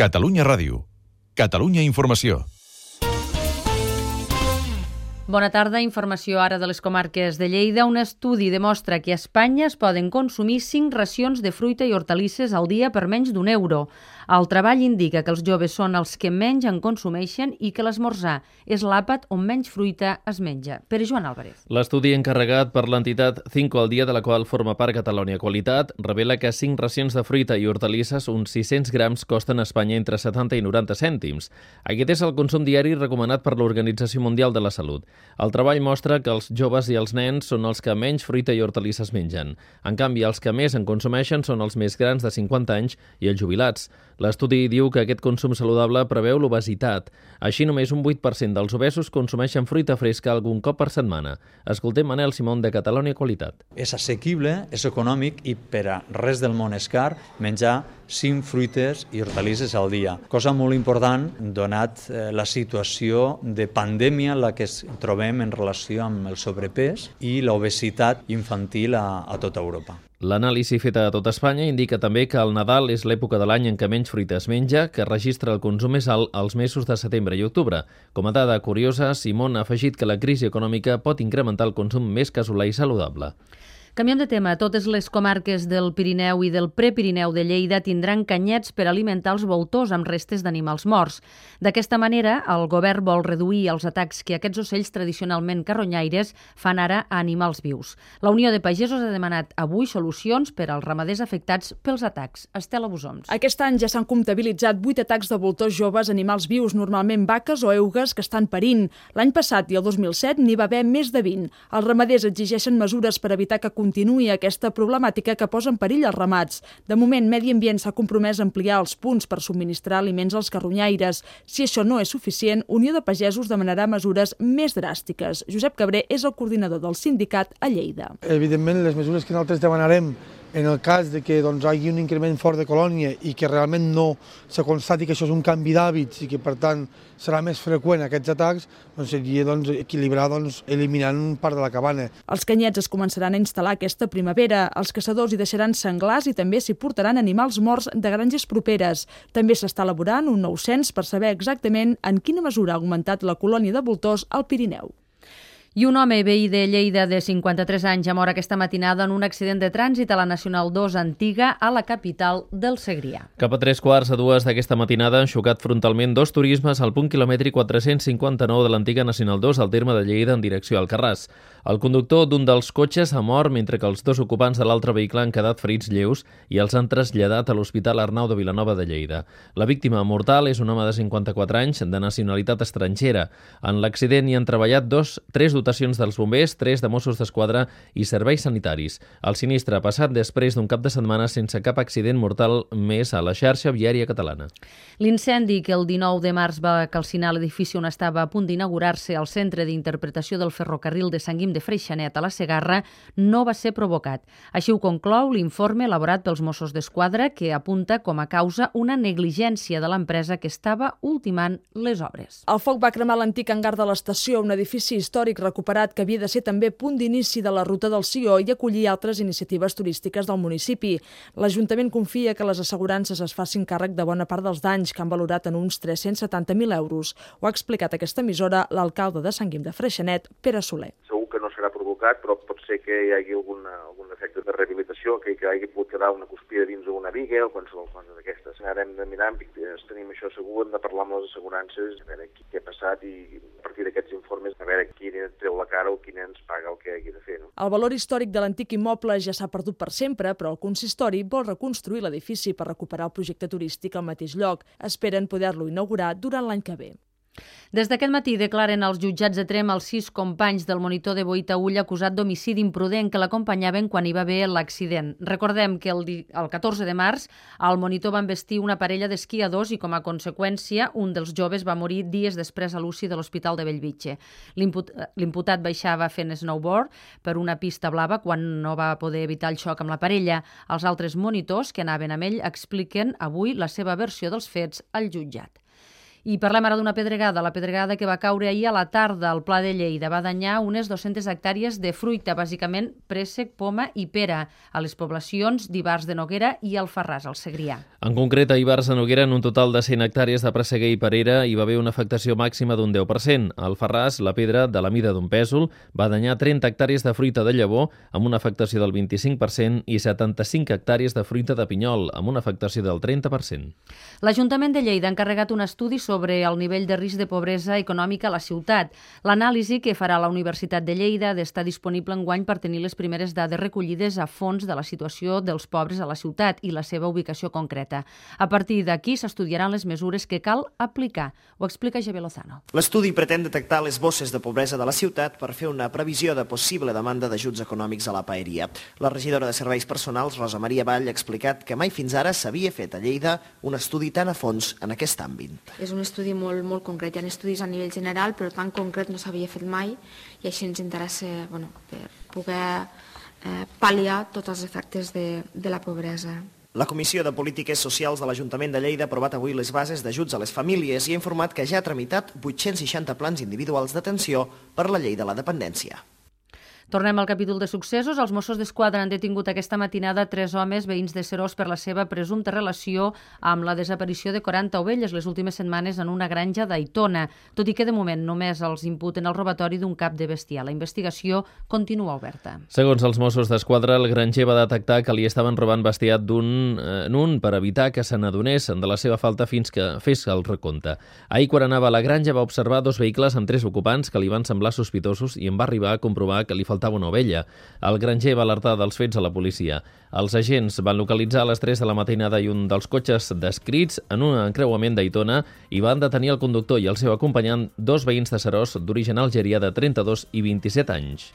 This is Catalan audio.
Catalunya Ràdio. Catalunya Informació. Bona tarda, informació ara de les comarques de Lleida. Un estudi demostra que a Espanya es poden consumir 5 racions de fruita i hortalisses al dia per menys d'€1. El treball indica que els joves són els que menys en consumeixen i que l'esmorzar és l'àpat on menys fruita es menja. Pere Joan Álvarez. L'estudi encarregat per l'entitat 5 al dia, de la qual forma part Catalonia Qualitat, revela que 5 racions de fruita i hortalisses, uns 600 grams, costen a Espanya entre 70 i 90 cèntims. Aquest és el consum diari recomanat per l'Organització Mundial de la Salut. El treball mostra que els joves i els nens són els que menys fruita i hortalisses mengen. En canvi, els que més en consumeixen són els més grans de 50 anys i els jubilats. L'estudi diu que aquest consum saludable preveu l'obesitat. Així, només un 8% dels obesos consumeixen fruita fresca algun cop per setmana. Escoltem Manel Simón, de Catalonia Qualitat. És assequible, és econòmic i per a res del món és car menjar 5 fruites i hortalisses al dia. Cosa molt important, donat la situació de pandèmia en la que ens trobem en relació amb el sobrepès i l'obesitat infantil a tota Europa. L'anàlisi feta a tot Espanya indica també que el Nadal és l'època de l'any en què menys fruita es menja, que registra el consum més alt als mesos de setembre i octubre. Com a dada curiosa, Simón ha afegit que la crisi econòmica pot incrementar el consum més casolà i saludable. Canviem de tema. Totes les comarques del Pirineu i del Prepirineu de Lleida tindran canyets per alimentar els voltors amb restes d'animals morts. D'aquesta manera, el govern vol reduir els atacs que aquests ocells tradicionalment carronyaires fan ara a animals vius. La Unió de Pagesos ha demanat avui solucions per als ramaders afectats pels atacs. Estela Busoms. Aquest any ja s'han comptabilitzat 8 atacs de voltors joves a animals vius, normalment vaques o eugues que estan parint. L'any passat i el 2007 n'hi va haver més de 20. Els ramaders exigeixen mesures per evitar que continuï aquesta problemàtica que posa en perill els ramats. De moment, Medi Ambient s'ha compromès a ampliar els punts per subministrar aliments als carronyaires. Si això no és suficient, Unió de Pagesos demanarà mesures més dràstiques. Josep Cabré és el coordinador del sindicat a Lleida. Evidentment, les mesures que nosaltres demanarem en el cas de que hi hagi un increment fort de colònia i que realment no se constati que això és un canvi d'hàbits i que, per tant, serà més freqüent aquests atacs, seria equilibrar eliminant part de la cabana. Els canyets es començaran a instal·lar aquesta primavera. Els caçadors hi deixaran senglars i també s'hi portaran animals morts de granges properes. També s'està elaborant un nou cens per saber exactament en quina mesura ha augmentat la colònia de voltors al Pirineu. I un home veí de Lleida de 53 anys ha mort aquesta matinada en un accident de trànsit a la Nacional 2 antiga a la capital del Segrià. Cap a 3:15 d'aquesta matinada han xocat frontalment 2 turismes al punt quilòmetre 459 de l'antiga Nacional 2 al terme de Lleida en direcció al Alcarràs. El conductor d'un dels cotxes ha mort mentre que els 2 ocupants de l'altre vehicle han quedat ferits lleus i els han traslladat a l'Hospital Arnau de Vilanova de Lleida. La víctima mortal és un home de 54 anys de nacionalitat estrangera. En l'accident hi han treballat 3 dotacions dels bombers, 3 de Mossos d'Esquadra i serveis sanitaris. El sinistre ha passat després d'un cap de setmana sense cap accident mortal més a la xarxa viària catalana. L'incendi que el 19 de març va calcinar l'edifici on estava a punt d'inaugurar-se el Centre d'Interpretació del Ferrocarril de Sant Guim de Freixenet a la Segarra no va ser provocat. Així ho conclou l'informe elaborat pels Mossos d'Esquadra, que apunta com a causa una negligència de l'empresa que estava ultimant les obres. El foc va cremar l'antic hangar de l'estació, un edifici històric recuperat que havia de ser també punt d'inici de la ruta del Sió i acollir altres iniciatives turístiques del municipi. L'Ajuntament confia que les assegurances es facin càrrec de bona part dels danys, que han valorat en uns 370.000 euros. Ho ha explicat a aquesta emissora l'alcalde de Sant Guim de Freixenet, Pere Soler. Segur que no serà provocat, però pot ser que hi hagi algun efecte de rehabilitació, que hagi pogut quedar una cuspida dins d'una viga o qualsevol cosa d'aquestes. Ara hem de mirar, tenim això segur, hem de parlar amb les assegurances, a veure què ha passat i a partir d'aquests informes a veure qui treu la cara o qui ens paga el que hagi de fer. El valor històric de l'antic immoble ja s'ha perdut per sempre, però el consistori vol reconstruir l'edifici per recuperar el projecte turístic al mateix lloc. Esperen poder-lo inaugurar durant l'any que ve. Des d'aquest matí declaren als jutjats de Tremp els 6 companys del monitor de Boitaüll acusat d'homicidi imprudent que l'acompanyaven quan hi va haver l'accident. Recordem que el 14 de març el monitor va embestir una parella d'esquiadors i com a conseqüència un dels joves va morir dies després a l'UCI de l'Hospital de Bellvitge. L'imputat baixava fent snowboard per una pista blava quan no va poder evitar el xoc amb la parella. Els altres monitors que anaven amb ell expliquen avui la seva versió dels fets al jutjat. I parlem ara d'una pedregada. La pedregada que va caure ahir a la tarda al Pla de Lleida va danyar unes 200 hectàrees de fruita, bàsicament préssec, poma i pera, a les poblacions d'Ivars de Noguera i Alfarràs, al Segrià. En concret, a Ivars de Noguera, en un total de 100 hectàrees de presseguer i perera, hi va haver una afectació màxima d'un 10%. A Alfarràs, la pedra, de la mida d'un pèsol, va danyar 30 hectàrees de fruita de llavor, amb una afectació del 25%, i 75 hectàrees de fruita de pinyol, amb una afectació del 30%. L'Ajuntament de Lleida ha encarregat un estudi sobre el nivell de risc de pobresa econòmica a la ciutat. L'anàlisi que farà la Universitat de Lleida ha d'estar disponible enguany per tenir les primeres dades recollides a fons de la situació dels pobres a la ciutat i la seva ubicació concreta. A partir d'aquí s'estudiaran les mesures que cal aplicar. Ho explica Javier Lozano. L'estudi pretén detectar les bosses de pobresa de la ciutat per fer una previsió de possible demanda d'ajuts econòmics a la paeria. La regidora de Serveis Personals, Rosa Maria Vall, ha explicat que mai fins ara s'havia fet a Lleida un estudi tan a fons en aquest àmbit. És un estudi molt concret. Hi ha estudis a nivell general, però tan concret no s'havia fet mai i així ens interessa per poder pal·liar tots els efectes de la pobresa. La Comissió de Polítiques Socials de l'Ajuntament de Lleida ha aprovat avui les bases d'ajuts a les famílies i ha informat que ja ha tramitat 860 plans individuals d'atenció per la llei de la dependència. Tornem al capítol de successos. Els Mossos d'Esquadra han detingut aquesta matinada 3 homes veïns de Seròs per la seva presumpta relació amb la desaparició de 40 ovelles les últimes setmanes en una granja d'Aitona, tot i que de moment només els imputen el robatori d'un cap de bestiar. La investigació continua oberta. Segons els Mossos d'Esquadra, el granger va detectar que li estaven robant bestiar d'un en un per evitar que se n'adonés de la seva falta fins que fes el recompte. Ahir, quan anava a la granja, va observar 2 vehicles amb 3 ocupants que li van semblar sospitosos i en va arribar a comprovar que li faltava una ovella. El granger va alertar dels fets a la policia. Els agents van localitzar a les 3 de la matinada i un dels cotxes descrits en un encreuament d'Aitona i van detenir el conductor i el seu acompanyant, 2 veïns de Seròs d'origen algerià de 32 i 27 anys.